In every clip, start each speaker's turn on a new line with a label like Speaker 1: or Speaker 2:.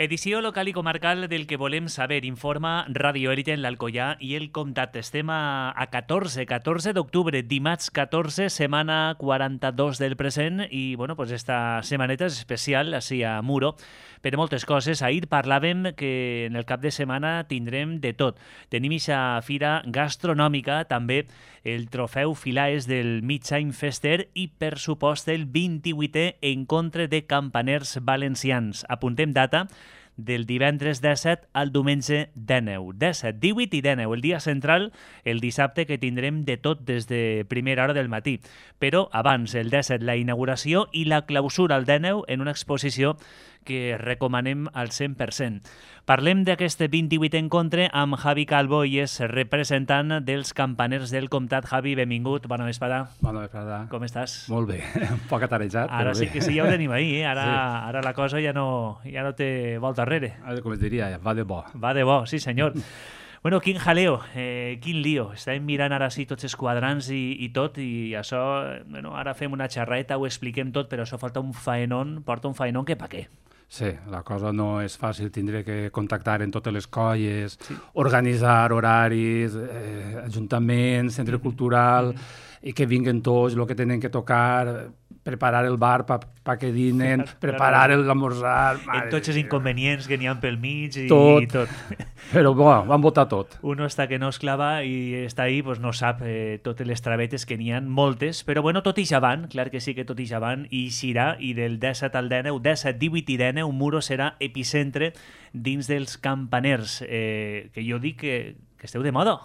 Speaker 1: Edició local i comarcal del que volem saber. Informa Radio Élite en l'Alcoià i el Comtat. Estem a 14 d'octubre, dimarts 14, setmana 42 del present i, bueno, pues esta setmaneta és especial, així a Muro, per moltes coses. Ahir parlàvem que en el cap de setmana tindrem de tot. Tenim ixa fira gastronòmica, també el trofeu Filaes del Mig-Any Fester i, per supost, el 28è encontre de campaners valencians. Apuntem data del divendres 17 al diumenge 19. 17, 18 i 19, el dia central, el dissabte, que tindrem de tot des de primera hora del matí. Però abans, el 17, la inauguració i la clausura el 19 en una exposició que recomanem al 100%. Parlem d'aquest 28è encontre amb Javi Calvo i és representant dels campaners del Comtat. Javi, benvingut, bona vesprada.
Speaker 2: Bona vesprada.
Speaker 1: Com estàs?
Speaker 2: Molt bé, un poc atarejat.
Speaker 1: Ara
Speaker 2: però
Speaker 1: sí
Speaker 2: bé.
Speaker 1: que sí, ja ho tenim ahir, eh? Ara,
Speaker 2: Sí.
Speaker 1: ara la cosa ja no té volta enrere.
Speaker 2: Com es diria, va de bo.
Speaker 1: Va de bo, sí senyor. Bueno, quin jaleo, quin lío. Estàvem mirant ara sí tots els quadrants i tot, i això, bueno, ara fem una xerreta, ho expliquem tot, però això falta un faenón, porta un faenón que pa què.
Speaker 2: Sí, la cosa no és fàcil, tindré que contactar en totes les colles, organitzar horaris, ajuntaments, centre cultural, i que vinguen tots, el que tenen que tocar, preparar el bar pa que dinen, preparar l'esmorzar...
Speaker 1: En tots els inconvenients que n'hi ha pel mig i tot.
Speaker 2: Però bueno, van votar tot.
Speaker 1: Uno està que no es clava i està ahí, pues no sap totes les travetes que n'hi ha, moltes, però bueno, tot ix avant, clar que sí que tot ix avant, i xirà, i del 17 al 19, 17, 18 i 19, Muro serà epicentre dins dels campaners, que jo dic que esteu de moda.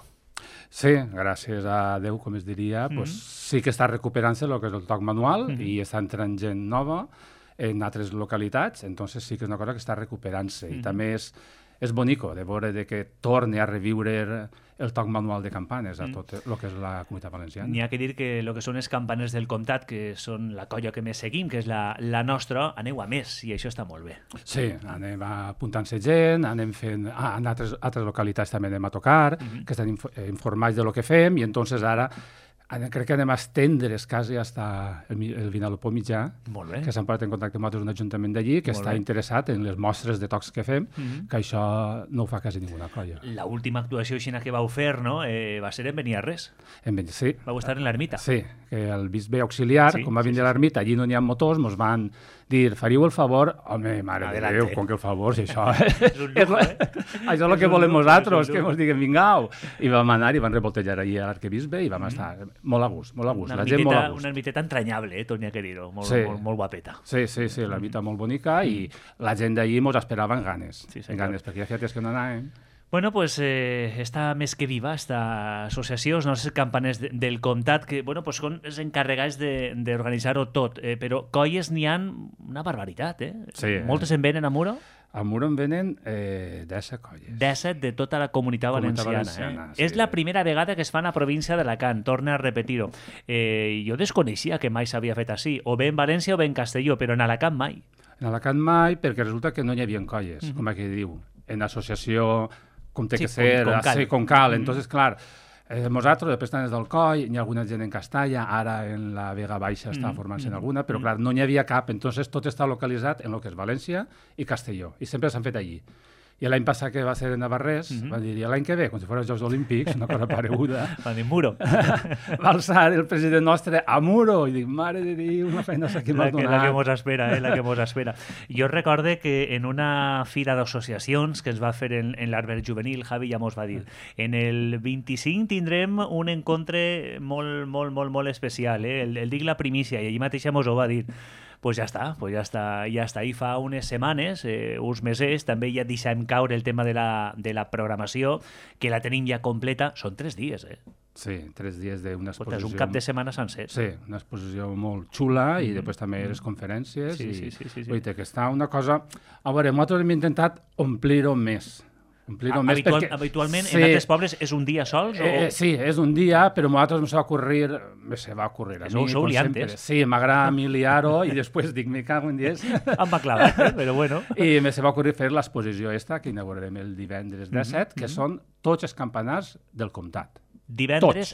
Speaker 2: Sí, gràcies a Déu, com es diria, pues, sí que està recuperant-se el que és el toc manual i està entrant gent nova en altres localitats, entonces sí que és una cosa que està recuperant-se. I també és bonico de veure de que torni a reviure el toc manual de campanes a tot el que és la Comunitat Valenciana.
Speaker 1: N'hi ha que dir que el que són els campaners del Comtat, que són la colla que més seguim, que és la nostra, aneu a més, i això està molt bé.
Speaker 2: Sí, anem apuntant-se gent, anem fent... en altres localitats també anem a tocar, que estan informats de lo que fem, i entonces ara crec que anem a estendre's quasi fins el Vinalopó mitjà, que s'han posat en contacte amb un ajuntament d'allí, que està interessat en les mostres de tocs que fem, que això no ho fa quasi ninguna colla.
Speaker 1: L'última actuació aixina que vau fer, no?, va ser en Beniarrés.
Speaker 2: Sí.
Speaker 1: Vau estar en l'ermita.
Speaker 2: Sí, que el bisbe auxiliar, com va vindre a l'ermita, allí no n'hi ha motors, mos van dir, faríeu el favor, home, mare de Déu, com que el favor, si això això és el que volem nosaltres, que mos diguen, vingau. I vam anar i van revoltejar allí a l'arquebisbe i vam estar molt a gust, molt a gust. La gent molt a gust.
Speaker 1: Una ermiteta entranyable, tot n'hi ha que dir-ho, molt guapeta.
Speaker 2: Sí, l'ermita molt bonica i la gent d'allí mos esperava amb ganes, perquè ja feia temps que no anàvem.
Speaker 1: Bueno, pues està més que viva, esta associació, els nostres campaners del Comtat, que, bueno, pues són els encarregats d'organitzar-ho tot, però colles n'hi ha una barbaritat, eh?
Speaker 2: Sí.
Speaker 1: Moltes en venen a Muro?
Speaker 2: A Muro en venen 17 colles.
Speaker 1: 17 de tota la Comunitat Valenciana.
Speaker 2: Sí.
Speaker 1: És la primera vegada que es fa a la província d'Alacant, torna a repetir-ho. Jo desconeixia que mai s'havia fet així, o bé en València o bé en Castelló, però en Alacant mai.
Speaker 2: En Alacant mai, perquè resulta que no hi havia colles, com aquí diu, en associació com té que ser, com cal. Entonces, clar, nosaltres, després estan des del Coll, hi ha alguna gent en Castalla, ara en la Vega Baixa està formant-se en alguna, però clar, no n'hi havia cap, entonces tot està localitzat en el que és València i Castelló, i sempre s'han fet allí. I l'any passat que va ser en Navarrés, van dir, l'any que ve, com si fos els Jocs Olímpics, una cosa pareguda,
Speaker 1: van dir Muro.
Speaker 2: Va alçar el president nostre a Muro, i dic, mare de Déu, una feina que m'ha donat.
Speaker 1: La que mos espera, la que mos espera. Jo recorde que en una fira d'associacions que es va fer en l'Arbert Juvenil, Javi ja mos va dir, en el 25 tindrem un encontre molt especial, el dic la primícia, i allí mateixa mos ho va dir. Pues ja està. I fa unes setmanes, uns mesos, també ja deixem caure el tema de la programació, que la tenim ja completa. Són 3 dies, eh?
Speaker 2: Sí, 3 dies d'una exposició.
Speaker 1: És un cap de setmana sencer.
Speaker 2: Sí, una exposició molt xula i després també les conferències.
Speaker 1: Sí.
Speaker 2: Vull dir que està una cosa... A veure, nosaltres hem intentat omplir-ho més.
Speaker 1: Habitualment en altres pobles és un dia sols?
Speaker 2: Sí, és un dia, però a nosaltres se va ocurrir a mi,
Speaker 1: sou liantes.
Speaker 2: Sí, m'agrada liar-ho i després dic, me cago en 10.
Speaker 1: Em va clavar, però bueno.
Speaker 2: I se va ocurrir fer l'exposició esta, que inaugurarem el divendres 17, que són tots els campanars del Comtat.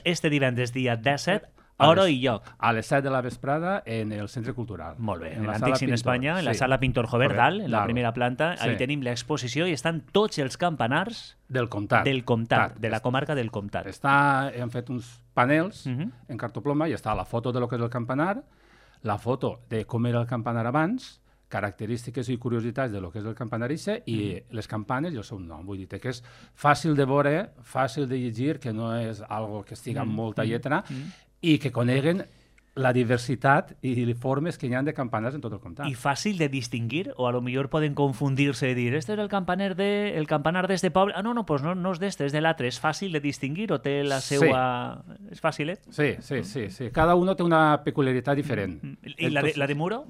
Speaker 1: Este divendres dia 17 Hora i lloc.
Speaker 2: A les 7 de la vesprada en el Centre Cultural.
Speaker 1: Molt bé, en l'Antic Cine Espanya, en la sala Pintor Jover dalt, en la primera planta, ahí tenim l'exposició i estan tots els campanars
Speaker 2: del Comtat,
Speaker 1: de la comarca del Comtat.
Speaker 2: Hem fet uns panels en cartoploma i està la foto de lo que és el campanar, la foto de com era el campanar abans, característiques i curiositats de lo que és el campanar i les campanes i el seu nom. Vull dir que és fàcil de veure, fàcil de llegir, que no és algo que estigui amb molta lletra i que coneguen la diversitat i formes que hi ha de campanars en tot el comtat.
Speaker 1: I fàcil de distingir, o a lo millor poden confundir-se i dir, este és el campanar d'este poble. Ah, no, pues no és d'este, és de l'altre. És fàcil de distingir o té la seva... És fàcil,
Speaker 2: Sí. Cada un té una peculiaritat diferent.
Speaker 1: I la de Muro?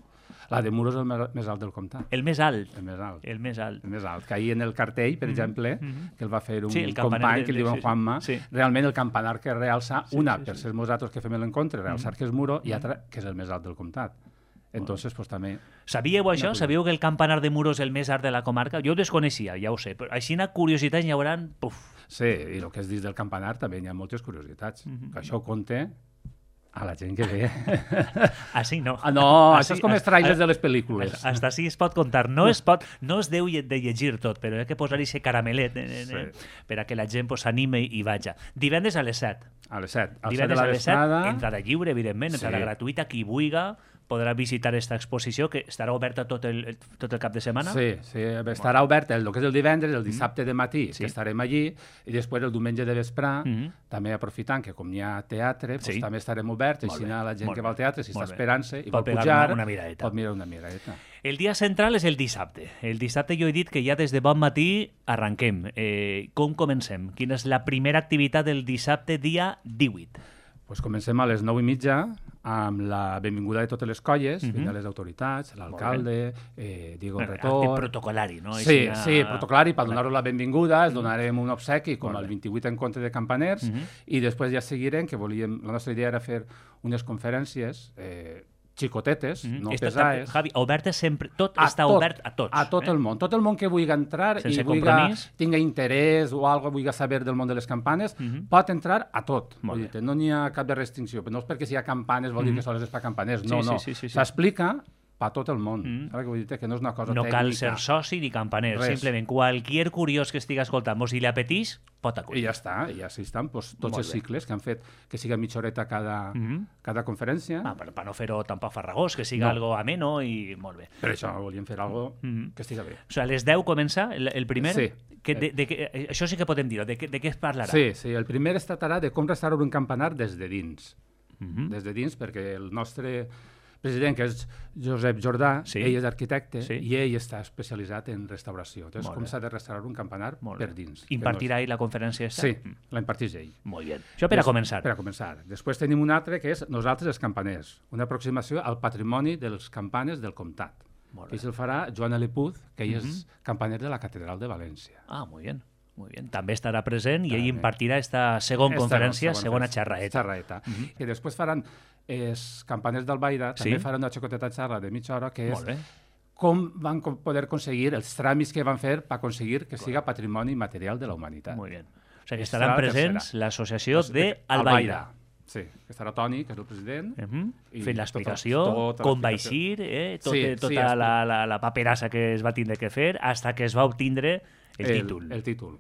Speaker 2: La de Muro és el més alt del comtat.
Speaker 1: El més alt?
Speaker 2: El més alt. Que ahir en el cartell, per exemple, que el va fer un company que li diuen Juanma, realment el campanar que realça, per ser nosaltres que fem l'encontre, realçar que és Muro, i altra que és el més alt del comtat. Entonces, pues també...
Speaker 1: Sabíeu això? Sabíeu que el campanar de Muro és el més alt de la comarca? Jo ho desconeixia, ja ho sé, però així una curiositat hi haurà...
Speaker 2: Sí, i el que és dins del campanar també hi ha moltes curiositats. Això ho conté a la gent que ve.
Speaker 1: Així no.
Speaker 2: No, això és com els trailers de les pel·lícules.
Speaker 1: Hasta així es pot contar. No es deu de llegir tot, però hi ha que posar-hi aquest caramelet per a que la gent s'anime i vaja. Divendres a les 7.
Speaker 2: A les 7.
Speaker 1: Divendres a les 7, entrada lliure, evidentment, entrada gratuïta, qui vulga podrà visitar aquesta exposició, que estarà oberta tot el cap de setmana.
Speaker 2: Sí, estarà oberta el que és el divendres, el dissabte de matí, que estarem allí, i després el diumenge de vespre, també aprofitant que com hi ha teatre, també estarem oberts, així la gent que va al teatre, si està esperant-se i vol pujar, pot mirar una miradeta.
Speaker 1: El dia central és el dissabte. El dissabte jo he dit que ja des de bon matí arrenquem. Com comencem? Quina és la primera activitat del dissabte, dia 18?
Speaker 2: Pues comencem a les 9:30 amb la benvinguda de totes les colles, vindran les autoritats, l'alcalde, Diego Retor...
Speaker 1: Acte protocolari, no?
Speaker 2: Sí, protocolari, per donar-los la benvinguda, els donarem un obsequi com el 28 encontre de campaners i després ja seguirem, que la nostra idea era fer unes conferències xicotetes, no pesades.
Speaker 1: Javi, obertes sempre, tot està obert a tots.
Speaker 2: A tot el món. Tot el món que vulgui entrar i tingui interès o algo, vulgui saber del món de les campanes, pot entrar a tot. No n'hi ha cap de restricció. No és perquè si hi ha campanes vol dir que sols és per campaners. No. S'explica a tot el món. Que no és una cosa tècnica.
Speaker 1: No cal ser soci ni campaner. Simplement, qualsevol curiós que estigui escoltant, si li apeteix, pot acudir.
Speaker 2: I ja està. I així estan tots els cicles que han fet que siga mitja horeta cada conferència.
Speaker 1: Per no fer-ho tampoc farragós, que siga algo ameno i molt bé.
Speaker 2: Per això volíem fer algo que estiga bé.
Speaker 1: O sigui, a les 10 comença el primer?
Speaker 2: Sí.
Speaker 1: Això sí que podem dir-ho. De què es parlarà?
Speaker 2: Sí. El primer es tractarà de com restaurar un campanar des de dins. Des de dins, perquè el nostre president, que és Josep Jordà, ell és arquitecte i ell està especialitzat en restauració. Llavors, com s'ha de restaurar un campanar per dins.
Speaker 1: Impartirà ell la conferència?
Speaker 2: Sí, la imparteix ell.
Speaker 1: Molt bé. Això per a començar.
Speaker 2: Per a començar. Després tenim un altre que és Nosaltres els campaners, una aproximació al patrimoni dels campanes del comtat. I se'l farà Joan Alepuz, que ell és campaner de la Catedral de València.
Speaker 1: Ah, molt bé. Molt bé. També estarà present i ell impartirà esta segona conferència, segona xerraeta.
Speaker 2: I després faran els campaners d'Albaida, també faran una xicoteta xerra de mitja hora, que és com van poder aconseguir els tràmits que van fer per aconseguir que siga patrimoni material de la humanitat.
Speaker 1: Molt bé. O sigui que estaran presents l'associació d'Albaida.
Speaker 2: Sí, que estarà Toni, que és el president.
Speaker 1: Fent l'explicació, com va eixir, tota la paperassa que es va tindre que fer, fins que es va obtindre el títol.
Speaker 2: El títol.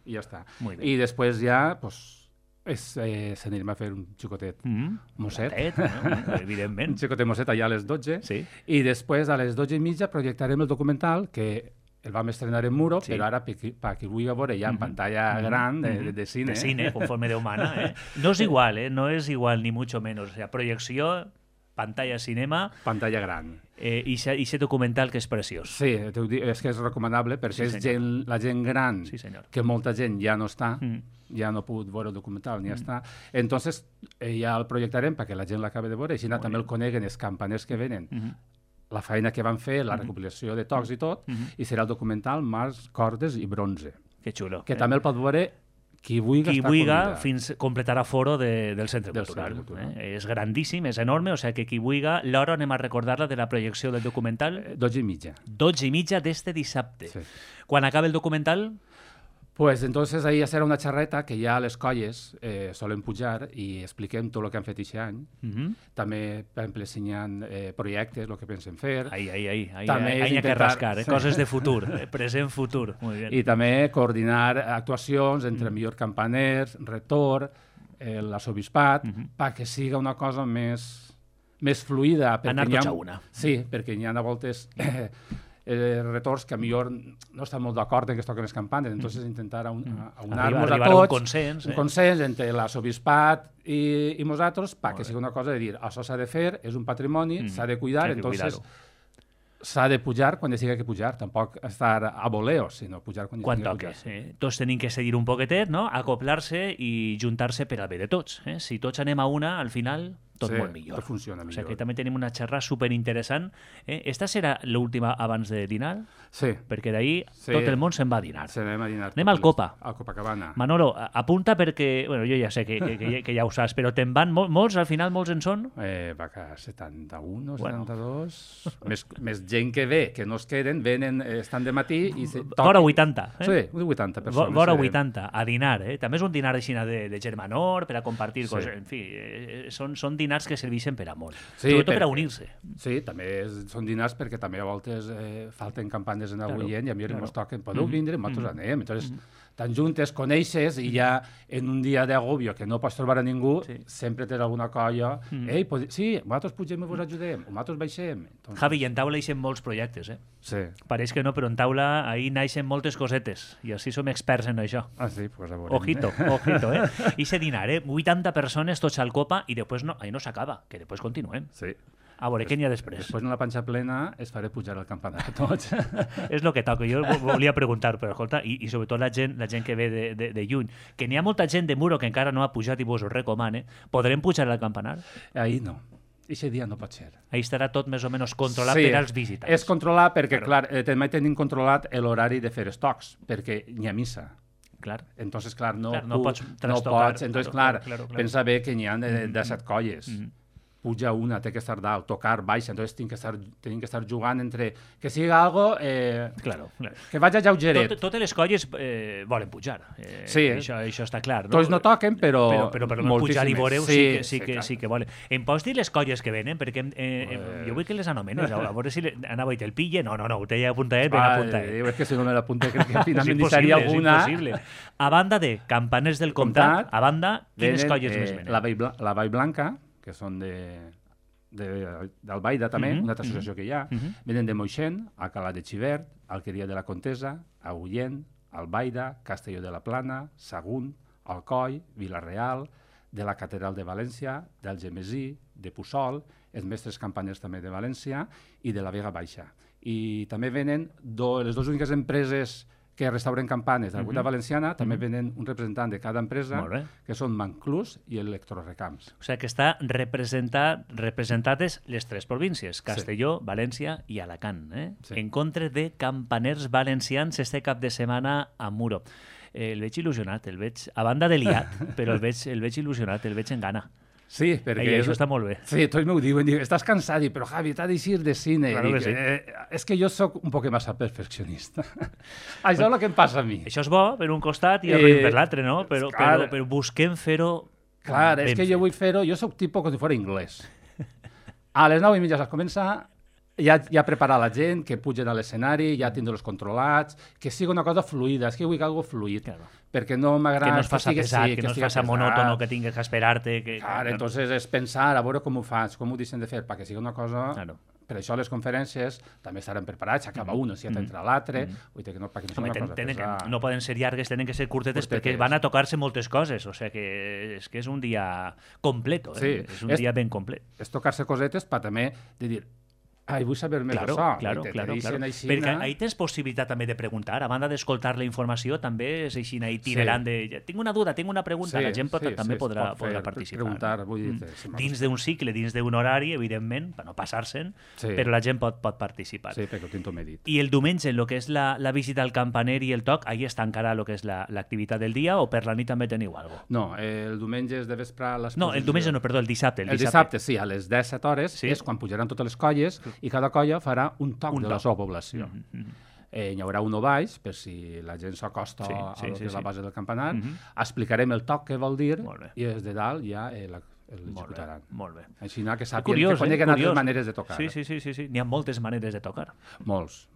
Speaker 2: I ja està. I després ja, s'anirem a fer un xicotet mosset.
Speaker 1: Evidentment.
Speaker 2: Un xicotet mosset allà a les 12. I després, a les 12:30, projectarem el documental que el vam estrenar en Muro, però ara, per qui vulgui veure ja en pantalla gran de cine.
Speaker 1: De cine, conforme Déu mana. No és igual, no és igual, ni mucho menos. O sea, projecció, pantalla cinema...
Speaker 2: Pantalla gran.
Speaker 1: I aquest documental que és preciós.
Speaker 2: Sí, és que és recomanable perquè és la gent gran, que molta gent ja no està, ja no ha pogut veure el documental ni ja està. Entonces, ja el projectarem perquè la gent l'acabi de veure, així també el coneguen els campaners que venen, la feina que van fer, la recopilació de tocs i tot, i serà el documental Mars, Cordes i Bronze.
Speaker 1: Que xulo.
Speaker 2: Que també el pot veure qui vulgui
Speaker 1: fins completarà foro del Centre Cultural. És grandíssim, és enorme, o sigui que qui vulgui, l'hora anem a recordar-la de la projecció del documental.
Speaker 2: 12:30.
Speaker 1: 12:30 d'este dissabte. Quan acabi el documental?
Speaker 2: Pues entonces ahí serà una xerreta que ja les colles solen pujar i expliquem tot el que han fet aquest any. També, per exemple, ensenyant projectes, el que pensen fer.
Speaker 1: Ahí hi ha que rascar, coses de futur, present, futur. Muy bien.
Speaker 2: I també coordinar actuacions entre millor campaners, retor, l'arsobispat, perquè siga una cosa més fluida.
Speaker 1: Anar tots a una.
Speaker 2: Sí, perquè hi ha a voltes retors que a millor no estan molt d'acord en que es toquen les campanes, entonces intentar aunar-nos a tots, un consens entre l'arsobispat i nosaltres perquè sigui una cosa de dir, això s'ha de fer, és un patrimoni, s'ha de cuidar, entonces s'ha de pujar quan hi sigui que pujar, tampoc estar a voleo, sinó pujar quan hi sigui que pujar.
Speaker 1: Tots tenim que seguir un poquetet, no? Acoplar-se i juntar-se per al bé de tots. Si tots anem a una, al final tot molt millor.
Speaker 2: Tot funciona millor.
Speaker 1: O sigui que també tenim una xerrada superinteressant. Esta serà l'última abans de dinar?
Speaker 2: Sí.
Speaker 1: Perquè d'ahir tot el món se'n va a dinar.
Speaker 2: Anem a dinar.
Speaker 1: Anem al Copa.
Speaker 2: Al Copacabana.
Speaker 1: Manolo, apunta perquè, bueno, jo ja sé que ja ho saps, però te'n van molts, al final molts en són?
Speaker 2: Va que 71 o 72. Més gent que ve, que no es queden, venen, estan de matí i...
Speaker 1: Vora 80.
Speaker 2: Sí, 80 persones.
Speaker 1: Vora 80, a dinar. També és un dinar de germanor, per a compartir coses. En fi, són dinars que serveixen per a molt. Sobretot per a unir-se.
Speaker 2: Sí, també són dinars perquè també a voltes falten campanes en algun gent i a mi ens toquen, podeu vindre, nosaltres anem. Entonces, tan juntes, coneixes i ja en un dia d'agobio que no pots trobar a ningú, sempre tens alguna colla. Ei, sí, nosaltres pugem i vos ajudem, nosaltres baixem.
Speaker 1: Javi, i en taula hi molts projectes,
Speaker 2: Sí.
Speaker 1: Pareix que no, però en taula ahir naixen moltes cosetes i així som experts en això.
Speaker 2: Ah, sí? Pues a veure.
Speaker 1: Ojito, I se dinar, 80 persones tots al Copa i després ahí no s'acaba, que després continuem.
Speaker 2: Sí.
Speaker 1: A veure, què n'hi ha després?
Speaker 2: Després, en la panxa plena, es faré pujar al campanar a tots.
Speaker 1: És el que toca. Jo volia preguntar, però escolta, i sobretot la gent que ve de lluny, que n'hi ha molta gent de Muro que encara no ha pujat i vos ho recomane, podrem pujar al campanar?
Speaker 2: Ahir no. Aquest dia no pot ser.
Speaker 1: Ahí estarà tot més o menys controlat per als visitants.
Speaker 2: És controlat perquè, clar, també tenim controlat l'horari de fer estocs, perquè n'hi ha missa.
Speaker 1: Clar.
Speaker 2: Entonces, clar, no
Speaker 1: pots
Speaker 2: trastocar. Entonces, clar, pensa bé que n'hi ha de 7 colles. Puja una, té que estar dalt, tocar, baixa, entonces tenim que estar jugant entre... Que sigui algo...
Speaker 1: Claro.
Speaker 2: Que vagi lleugeret.
Speaker 1: Totes les colles volen pujar.
Speaker 2: Sí.
Speaker 1: Això està clar.
Speaker 2: Tots no toquen, però
Speaker 1: pujar i veureu sí que volen. Em pots dir les colles que venen? Perquè jo vull que les anomenes. A veure si anava i te'l pille. No, ho té ja apuntat, ben apuntat.
Speaker 2: És que si no me l'apunta crec que finalment hi seria alguna...
Speaker 1: És impossible. A banda de Campaners del Comtat, a banda, quines colles més venen?
Speaker 2: La Vall Blanca, que són d'Albaida també, una altra associació que hi ha, venen de Moixent, Alcalá de Xivert, Alqueria de la Contesa, Agullent, Albaida, Castelló de la Plana, Sagunt, Alcoi, Vila-real, de la Catedral de València, d'Algemesí, de Puçol, els mestres campaners també de València i de la Vega Baixa. I també venen les dues úniques empreses que restauren campanes de la Comunitat Valenciana, també venen un representant de cada empresa, que són Manclús i Electrorecams.
Speaker 1: O sigui que està representades les tres províncies, Castelló, València i Alacant, en contra de campaners valencians este cap de setmana a Muro. El veig il·lusionat, a banda de liat, però el veig il·lusionat, el veig en gana.
Speaker 2: Sí, perquè...
Speaker 1: Això està molt bé.
Speaker 2: Sí, tots m'ho diuen, estàs cansat, però Javi, t'ha d'eixir de cine.
Speaker 1: Claro que sí.
Speaker 2: És que jo sóc un poc massa perfeccionista. Això és el que em passa a mi.
Speaker 1: Això és bo per un costat i ruïn per l'altre, no? Però busquem fer-ho...
Speaker 2: Clar, és que jo vull fer-ho... Jo sóc tipus com si fos anglès. A les 9:30 saps començar, ja preparar la gent, que pugen a l'escenari, ja tindre-los controlats, que sigui una cosa fluida. És que jo vull que algo fluid. Claro. Perquè no m'agrada...
Speaker 1: Que no es faci pesat, que no es faci monòtono, que tingues que esperar-te...
Speaker 2: Clar, entonces és pensar, a veure com ho faig, com ho deixen de fer, perquè sigui una cosa... Claro. Per això les conferències també estaran preparats, acaba un, si ja t'entra l'altre, perquè no sigui una cosa pesada.
Speaker 1: No poden ser llargues, tenen que ser curtetes perquè van a tocar-se moltes coses, o sigui que és un dia complet, és un dia ben complet.
Speaker 2: És tocar-se cosetes per també de dir... vull saber més d'això.
Speaker 1: Claro. Perquè ahí tens possibilitat també de preguntar, a banda d'escoltar la informació, també és així itinerant de... Tinc una duda, tinc una pregunta, la gent també podrà participar.
Speaker 2: Preguntar, vull dir...
Speaker 1: Dins d'un cicle, dins d'un horari, evidentment, per no passar-se'n, però la gent pot participar.
Speaker 2: Sí, perquè ho tinc tot medit.
Speaker 1: I el diumenge, el que és la visita al campaner i el toc, ahí està encara el que és l'activitat del dia, o per la nit també teniu alguna cosa?
Speaker 2: No, el diumenge és de vespre...
Speaker 1: No, el diumenge no, perdó, el dissabte.
Speaker 2: El dissabte, sí, a les 17 hores és quan pujaran totes les colles i cada colla farà un toc de la seva població. Hi haurà un baix, per si la gent s'acosta a la base del campanar. Explicarem el toc que vol dir i des de dalt ja l'executaran.
Speaker 1: Molt bé.
Speaker 2: Així que sàpiguen que coneguen altres maneres de tocar.
Speaker 1: Sí. N'hi ha moltes maneres de tocar.
Speaker 2: Molts.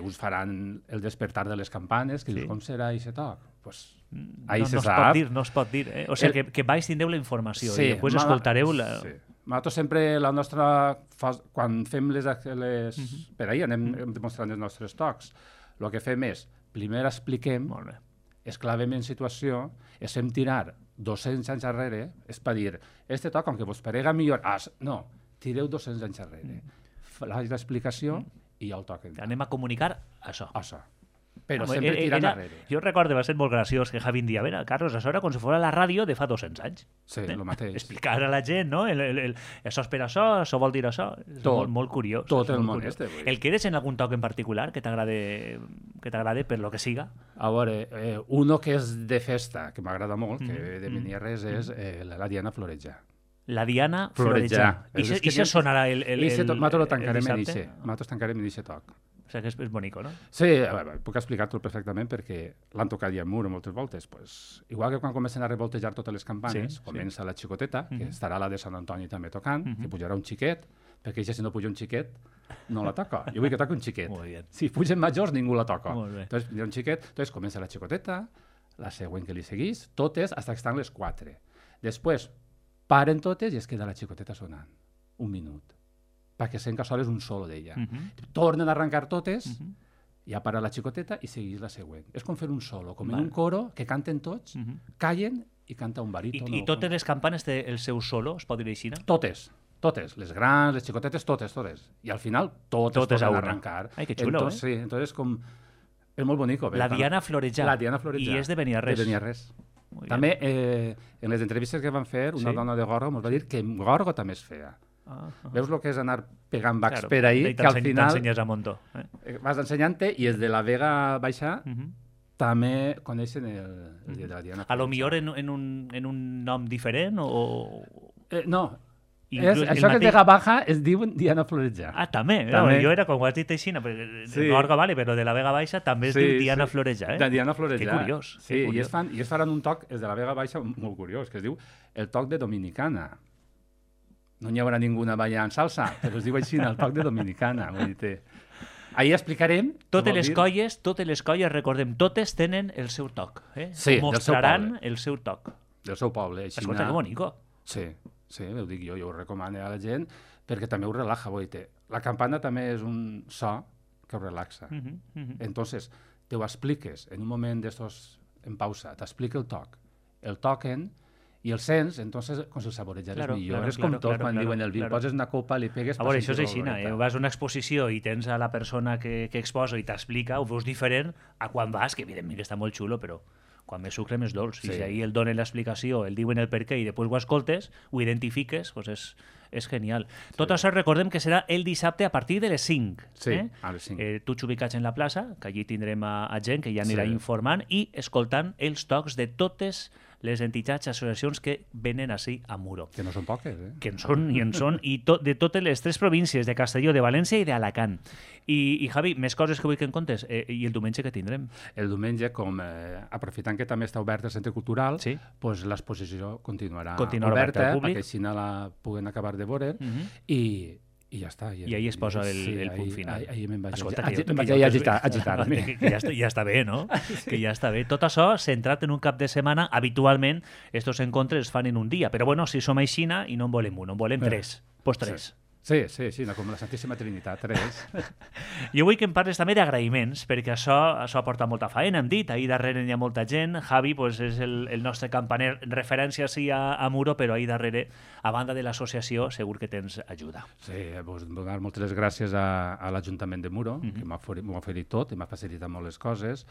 Speaker 2: Us faran el despertar de les campanes, que dius, com serà aquest toc? Pues, ahí se sap.
Speaker 1: No es pot dir. O sigui, que baix tindreu la informació i després escoltareu la...
Speaker 2: Nosaltres sempre, la nostra, quan fem les per ahir anem demostrant els nostres tocs, el que fem és, primer expliquem, es clavem en situació, es fem tirar 200 anys enrere, és per dir, este toc, aunque vos parega millor, no, tireu 200 anys enrere, faig l'explicació i ja el toquen.
Speaker 1: Anem a comunicar això.
Speaker 2: Però sempre tirant enrere.
Speaker 1: Jo recordo, va ser molt graciós que Javi dia, Carlos, això era com si fos la ràdio de fa 200 anys.
Speaker 2: Sí, el mateix.
Speaker 1: Explicar a la gent, no? Això és per això vol dir això. És molt curiós.
Speaker 2: Tot el món
Speaker 1: este. El queres en algun toc en particular que t'agrade per lo que siga?
Speaker 2: A veure, uno que és de festa, que m'agrada molt, que de Benierres, és la Diana Floreja.
Speaker 1: La Diana Floreja. I això sonarà el dissabte?
Speaker 2: Nosaltres tancarem en aquest toc.
Speaker 1: O sigui que és bonico, no?
Speaker 2: Sí, puc explicar-t'ho perfectament perquè l'han tocat ja en mur moltes voltes. Igual que quan comencen a revoltejar totes les campanes, comença la xicoteta, que estarà la de Sant Antoni també tocant, que pujarà un xiquet, perquè si no puja un xiquet, no la toca. Jo vull que toqui un xiquet. Si pugen majors, ningú la toca. Entonces, hi ha un xiquet, comença la xicoteta, la següent que li seguís, totes, fins que estan les 4. Després, paren totes i es queda la xicoteta sonant. Un minut. Perquè sent que sol és un solo d'ella. Tornen a arrencar totes, ja para la xicoteta i seguís la següent. És com fer un solo, com en un coro que canten tots, callen i canta un baríton.
Speaker 1: I totes les campanes té el seu solo, es pot dir així?
Speaker 2: Totes. Les grans, les xicotetes, totes. I al final totes tornen a arrencar.
Speaker 1: Ai, que xulo,
Speaker 2: Sí, entonces com... És molt bonico.
Speaker 1: La Diana Floreja. I és de Beniarrés.
Speaker 2: De Beniarrés. També, en les entrevistes que van fer, una dona de Gorgo ens va dir que Gorgo també es feia. Veus el que és anar pegant bacs per ahir, que al final
Speaker 1: t'ensenyes a muntó.
Speaker 2: Vas ensenyant-te i els de la Vega Baixa també coneixen el dia de la Diana.
Speaker 1: A lo millor en un nom diferent o...
Speaker 2: No, això que és Vega Baja es diu Diana Floreja.
Speaker 1: També. Jo era com ho has dit així, Gorga vale, però de la Vega Baixa també es diu Diana Floreja.
Speaker 2: De Diana Floreja.
Speaker 1: Que curiós.
Speaker 2: Sí, i es faran un toc, és de la Vega Baixa, molt curiós, que es diu el toc de Dominicana. No hi haurà ninguna ballant salsa, però es diu així, el toc de Dominicana. Ahir explicarem...
Speaker 1: Totes les colles, recordem, totes tenen el seu toc.
Speaker 2: Sí,
Speaker 1: mostraran el seu toc.
Speaker 2: Del seu poble.
Speaker 1: Escolta, que bonico.
Speaker 2: Sí, ho dic jo ho recomano a la gent, perquè també ho relaxa. La campana també és un so que ho relaxa. Entonces, te ho expliques en un moment d'estos en pausa, t'explica el toc, el toquen, i el sents, entonces, com si el saborejares millor. És com tot, quan diuen el vi, poses una copa, li pegues...
Speaker 1: A veure, això és així, vas a una exposició i tens a la persona que exposa i t'explica, ho veus diferent a quan vas, que evidentment està molt xulo, però quan més sucre més dolç. I si ahir el donen l'explicació, el diuen el per què i després ho escoltes, ho identifiques, doncs és genial. Tot això recordem que serà el dissabte a partir de les 5.
Speaker 2: Sí, a les 5.
Speaker 1: Tots ubicats en la plaça, que allí tindrem a gent que ja anirà informant i escoltant els tocs de totes les entitats, associacions que venen així a Muro.
Speaker 2: Que no són poques,
Speaker 1: Que en són, i de totes les 3 províncies, de Castelló, de València i d'Alacant. I Javi, més coses que vull que en comptes. I el diumenge que tindrem?
Speaker 2: El diumenge, aprofitant que també està obert el Centre Cultural, doncs l'exposició continuarà oberta, perquè així la puguen acabar de veure, i ja està.
Speaker 1: I ahir es posa el punt final.
Speaker 2: Ahir me'n vaig agitar-me.
Speaker 1: Que ja està bé, no? Que ja està bé. Tot això centrat en un cap de setmana, habitualment, estos encontres es fan en un dia. Però bueno, si som aixina i no en volem un, en volem 3. Pues 3.
Speaker 2: Sí, com la Santíssima Trinitat, 3.
Speaker 1: Jo vull que em parles també d'agraïments, perquè això aporta molta feina, hem dit, ahir darrere hi ha molta gent, Javi és el nostre campaner, referència sí a Muro, però ahir darrere, a banda de l'associació, segur que tens ajuda.
Speaker 2: Sí, donar moltes gràcies a l'Ajuntament de Muro, que m'ha oferit tot i m'ha facilitat molt les coses,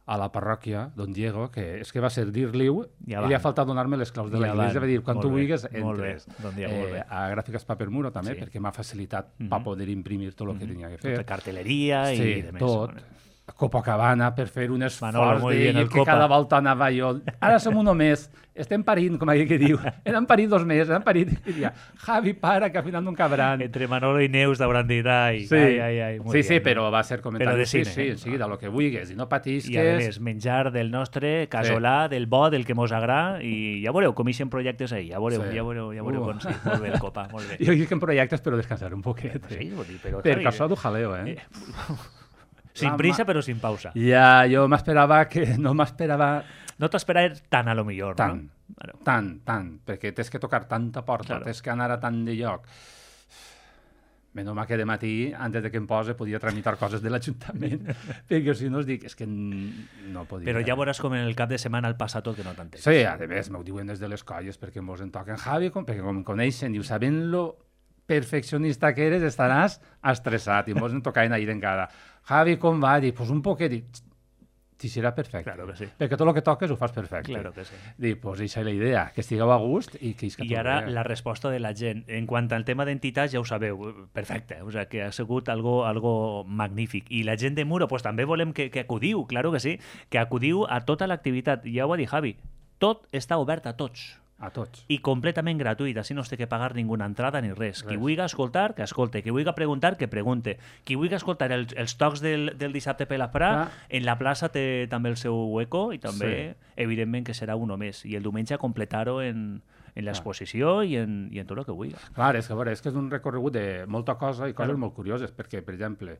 Speaker 2: a la parròquia, don Diego, que és que va ser dir-li-ho, i li ha faltat donar-me les claus de l'església, va dir, quan tu vulguis, entres. A Gràfiques Paper Muro també, perquè m'ha facilitat per poder imprimir tot el que tenia que fer.
Speaker 1: Tota cartelleria i demés.
Speaker 2: Tot. Copacabana per fer un
Speaker 1: Manolo,
Speaker 2: esforç
Speaker 1: molt bien, el
Speaker 2: que
Speaker 1: Copa.
Speaker 2: cada volta anava jo. Ara som uno més, estem parint, com aquell que diu. Hem parit 2 mesos, hem parit. I dia, Javi, para, que al final no cabran.
Speaker 1: Entre Manolo i Neus d'hauran dit, ai,
Speaker 2: Sí,
Speaker 1: ai, molt
Speaker 2: sí,
Speaker 1: bien,
Speaker 2: però va ser comentari.
Speaker 1: Però de cine,
Speaker 2: Sí, de lo que vulguis, i no patisques.
Speaker 1: I a més, menjar del nostre, casolà, del bo, del que mos agrada, i ja veureu com ixen projectes ahir, ja veureu com sí. Molt bé el Copa, molt bé.
Speaker 2: Jo dic en projectes, però descansar un poquet.
Speaker 1: Sí, vol dir, però...
Speaker 2: Perquè això du jaleo,
Speaker 1: Sin prisa, però sin pausa.
Speaker 2: Ja, jo m'esperava que... No m'esperava...
Speaker 1: No t'esperaves tant, a lo millor,
Speaker 2: tant,
Speaker 1: no? Bueno.
Speaker 2: tant, perquè tens que tocar tanta porta,
Speaker 1: Claro.
Speaker 2: tens que anar a tant de lloc. Menys mal que de matí, antes de que em pose, podia tramitar coses de l'Ajuntament, perquè si no us dic, és que no podia.
Speaker 1: Però ja veuràs com en el cap de setmana el passa tot que no t'entens.
Speaker 2: Sí, a més, m'ho diuen des de les colles, perquè mos en toquen Javi, perquè com em coneixen, diu, sabent lo perfeccionista que eres, estaràs estressat, i mos en tocaven ahir encara. Javi, com va? Dic, pues un poquet, dic, t'hi serà perfecte.
Speaker 1: Claro que sí.
Speaker 2: Perquè tot el que toques ho fas perfecte.
Speaker 1: Claro que sí.
Speaker 2: Dic, pues eixa és la idea, que estigueu a gust i que isca
Speaker 1: I ara
Speaker 2: tot bé.
Speaker 1: la resposta de la gent. En quant al tema d'entitats, ja ho sabeu, perfecte. O sea, que ha sigut algo magnífic. I la gent de Muro, pues també volem que acudiu, claro que sí, que acudiu a tota l'activitat. Ja ho ha dit Javi, tot està obert a tots.
Speaker 2: A tots.
Speaker 1: I completament gratuït, així no es té que pagar ninguna entrada ni res. Qui vulgui escoltar, que escolte. Qui vulgui preguntar, que pregunte. Qui vulgui escoltar els tocs del dissabte per la Fra, en la plaça té també el seu hueco i també, evidentment, que serà uno més. I el diumenge completar-ho en l'exposició i en tot el que vulgui.
Speaker 2: Clar, és que, a veure, és un recorregut de molta cosa i coses molt curioses, perquè, per exemple,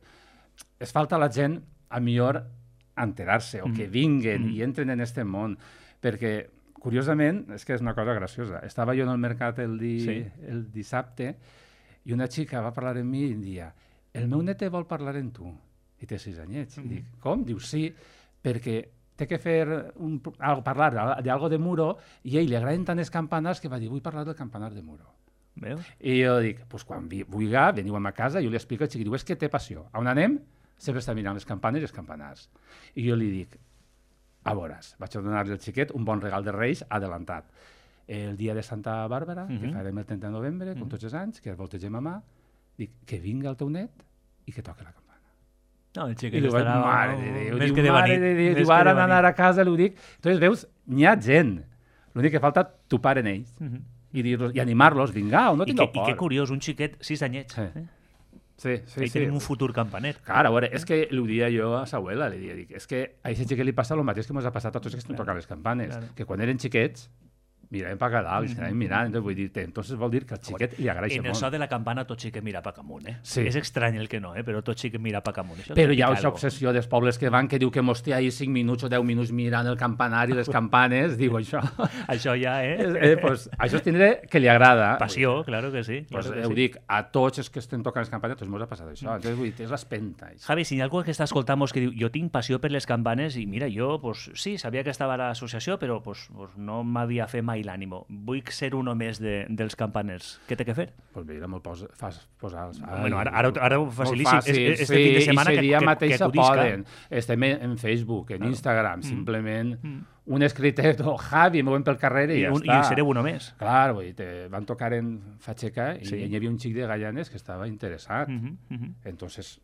Speaker 2: es falta a la gent, a millor, enterar-se, o que vinguen i entren en este món, perquè curiosament, és que és una cosa graciosa. Estava jo en el mercat el dissabte i una xica va parlar amb mi i em dia, el meu nete vol parlar amb tu. I té 6 anyets. I dic, com? Diu, sí, perquè té que fer parlar d'algo de Muro i a ell li agraden tant els campanars que va dir, vull parlar del campanar de Muro.
Speaker 1: Veus?
Speaker 2: I jo dic, pues quan vulgui, veniu a ma casa, jo li explico al xic, diu, és que té passió. On anem? Sempre està mirant les campanes i els campanars. I jo li dic, a veuràs, vaig a donar-li al xiquet un bon regal de Reis adelantat. El dia de Santa Bàrbara, que farem el 30 de novembre, com tots els anys, que el voltegem a mà, dic, que vinga el teu net i que toqui la campana.
Speaker 1: No, el xiquet
Speaker 2: I diu,
Speaker 1: estarà...
Speaker 2: mare de Déu,
Speaker 1: Més
Speaker 2: diu,
Speaker 1: que de
Speaker 2: mare
Speaker 1: venir.
Speaker 2: de Déu, diu, ara anar a casa, li ho dic. Entonces, veus, n'hi ha gent. L'únic que falta, topar en ells i animar-los, vinga, no tingueu por.
Speaker 1: I que curiós, un xiquet 6 anyets.
Speaker 2: Sí.
Speaker 1: Ell tenim un futur campaner.
Speaker 2: Clar, a veure, és que li ho dia jo a sa abuela, li dia, dic, és que a aquest xiquet li passa el mateix que ens ha passat a tots els que estem tocant les campanes, que quan eren xiquets miraven per dalt, i s'anaven mirant, entonces vull dir, entonces vol dir que al xiquet li agrada
Speaker 1: En
Speaker 2: molt.
Speaker 1: el so de la campana tot xiquet mira pa camunt,
Speaker 2: Sí.
Speaker 1: És estrany el que no, però tot xiquet mira pa camunt.
Speaker 2: Però hi ha aquesta obsessió dels pobles que van, que diu que mos té ahir 5 minuts o 10 minuts mirant el campanari, les campanes, diu això.
Speaker 1: Això ja,
Speaker 2: Pues, això és tindre que li agrada.
Speaker 1: Passió, claro que sí.
Speaker 2: Pues,
Speaker 1: Claro que
Speaker 2: ho
Speaker 1: sí.
Speaker 2: dic, a tots els que estem tocant les campanes, tots mos ha passat això. Entonces, vull dir, és l'espenta.
Speaker 1: Javi, si hi ha algú que està escoltant que diu jo tinc passió per les campanes i mira, jo pues, sí, sabia que estava a l'associació, però pues, no m'havia fet mai l'ànimo. Vull ser uno més dels campaners. Què té que fer?
Speaker 2: Pues mira, me'l posar...
Speaker 1: Bueno, ara ho facilíssim. Este
Speaker 2: sí,
Speaker 1: fin de setmana
Speaker 2: i dia
Speaker 1: que
Speaker 2: mateix
Speaker 1: acudisca.
Speaker 2: poden. Estem en Facebook, en Instagram, simplement un escritet, Javi, movem pel carrer i ja està.
Speaker 1: I sereu uno més.
Speaker 2: Clar, vull dir, van tocar en Fatxeca i
Speaker 1: Sí.
Speaker 2: hi havia un xic de Gallanes que estava interessat. Entonces,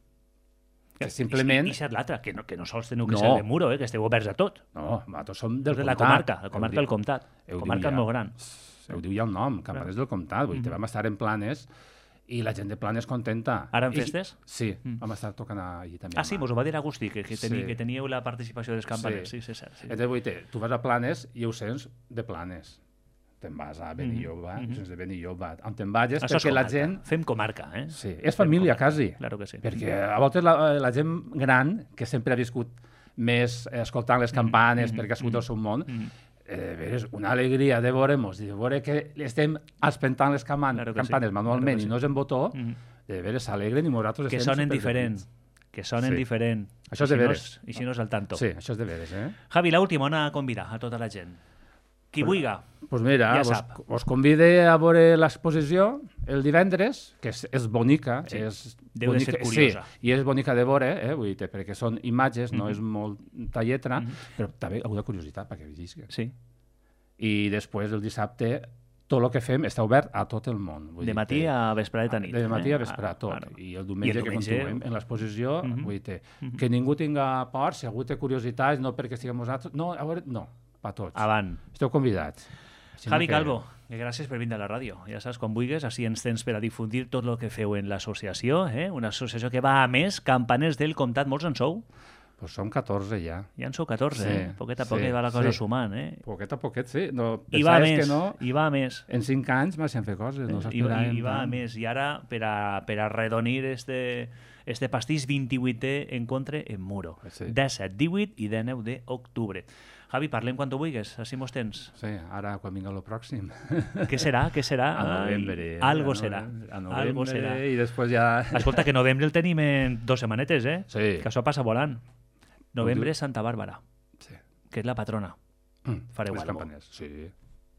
Speaker 2: que
Speaker 1: I
Speaker 2: simplement...
Speaker 1: ser l'altre, que no sols teniu que ser de Muro, que esteu oberts a tot.
Speaker 2: No, nosaltres som del
Speaker 1: De la
Speaker 2: comtat.
Speaker 1: comarca, del comtat. La comarca és molt gran.
Speaker 2: Ho diu ja el nom, Campaners del Comtat. Vull dir, vam estar en Planes i la gent de Planes contenta.
Speaker 1: Ara en festes?
Speaker 2: Sí, vam estar tocant allí també.
Speaker 1: Ah, sí, vos ho va dir Agustí, que teníeu la participació dels campaners. Sí, és cert.
Speaker 2: Entonces, vull dir, tu vas a Planes i ho sents de Planes. Te'n vas a Benilloba, ho sents de Benilloba. On te'n vagis, perquè la gent...
Speaker 1: Fem comarca,
Speaker 2: Sí, és família, quasi.
Speaker 1: Claro que sí.
Speaker 2: Perquè a voltes la gent gran, que sempre ha viscut més escoltant les campanes, perquè ha sigut el seu món, és una alegria de veure-nos, de veure que estem espentant les campanes manualment i no és en botó, de veres s'alegren i nosaltres
Speaker 1: que sonen diferent. Que sonen diferent.
Speaker 2: Això és de veres.
Speaker 1: I si no és al tanto.
Speaker 2: Sí, això és de veres,
Speaker 1: Javi, l'última, on a convidar a tota la gent? Qui vulga.
Speaker 2: Pues mira,
Speaker 1: ja sap.
Speaker 2: Us convide a veure l'exposició el divendres, que és bonica.
Speaker 1: Sí. Deu de ser curiosa.
Speaker 2: Sí, i és bonica de veure, vull dir, perquè són imatges, no és molta lletra, però també alguna curiositat perquè vegisca.
Speaker 1: Sí.
Speaker 2: I després, el dissabte, tot el que fem està obert a tot el món.
Speaker 1: De matí a vesprada nit.
Speaker 2: De matí a vesprada tot. I el diumenge que continuem en l'exposició, vull dir, que ningú tinga por, si algú té curiositats, no perquè estiguem nosaltres, no, a veure, no, per tots.
Speaker 1: Avant.
Speaker 2: Esteu convidats.
Speaker 1: Javi Calvo, gràcies per vindre a la ràdio. Ja saps, quan vulguis, així ens tens per a difundir tot el que feu en l'associació, una associació que va a més, Campaners del Comtat, molts en sou?
Speaker 2: Pues som 14 ja.
Speaker 1: Ja en sou 14, Poquet a poquet va la cosa sumant,
Speaker 2: Poquet a poquet, sí. No,
Speaker 1: I va a més, i va a més.
Speaker 2: En 5 anys m'hacen fer coses, no s'esperàvem.
Speaker 1: I va a més, i ara, per a redonir este pastís 28è encontre en Muro. 17, 18 i 19 d'octubre. Javi, parlem quan tu vulguis, així mos tens.
Speaker 2: Sí, ara quan vinga el pròxim.
Speaker 1: Què serà?
Speaker 2: A novembre.
Speaker 1: Algo serà.
Speaker 2: A novembre i després ja...
Speaker 1: Escolta, que novembre el tenim en 2 setmanetes,
Speaker 2: Sí.
Speaker 1: Que això passa volant. Novembre és Santa Bàrbara, que és la patrona. Fareu alguna cosa.
Speaker 2: Sí.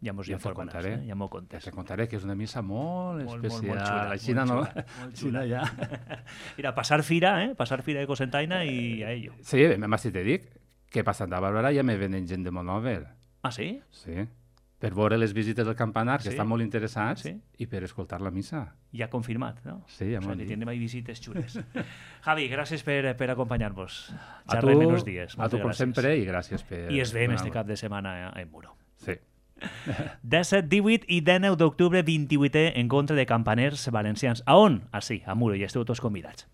Speaker 1: Ja m'ho informaràs, ja m'ho contes.
Speaker 2: Ja te contaré que és una missa molt especial.
Speaker 1: Molt xula.
Speaker 2: Aixina no? Aixina ja.
Speaker 1: Mira, passar fira de Cosentaina i a ello.
Speaker 2: Sí, més si te dic que per Santa Bàrbara ja me venen gent de Monòver.
Speaker 1: Ah, sí?
Speaker 2: Sí. Per veure les visites del campanar, que estan molt interessats, i per escoltar la missa.
Speaker 1: Ja confirmat, no?
Speaker 2: Sí, ja m'ho dit.
Speaker 1: Tindrem ahí visites xules. Javi, gràcies per acompanyar-nos. Xerrem en uns dies.
Speaker 2: A tu, com sempre, i gràcies per...
Speaker 1: I es veiem este cap de setmana en Muro.
Speaker 2: Sí.
Speaker 1: 17, 18 i 19 d'octubre, 28è encontre de campaners valencians. A on? Ah, sí, a Muro, i esteu tots convidats.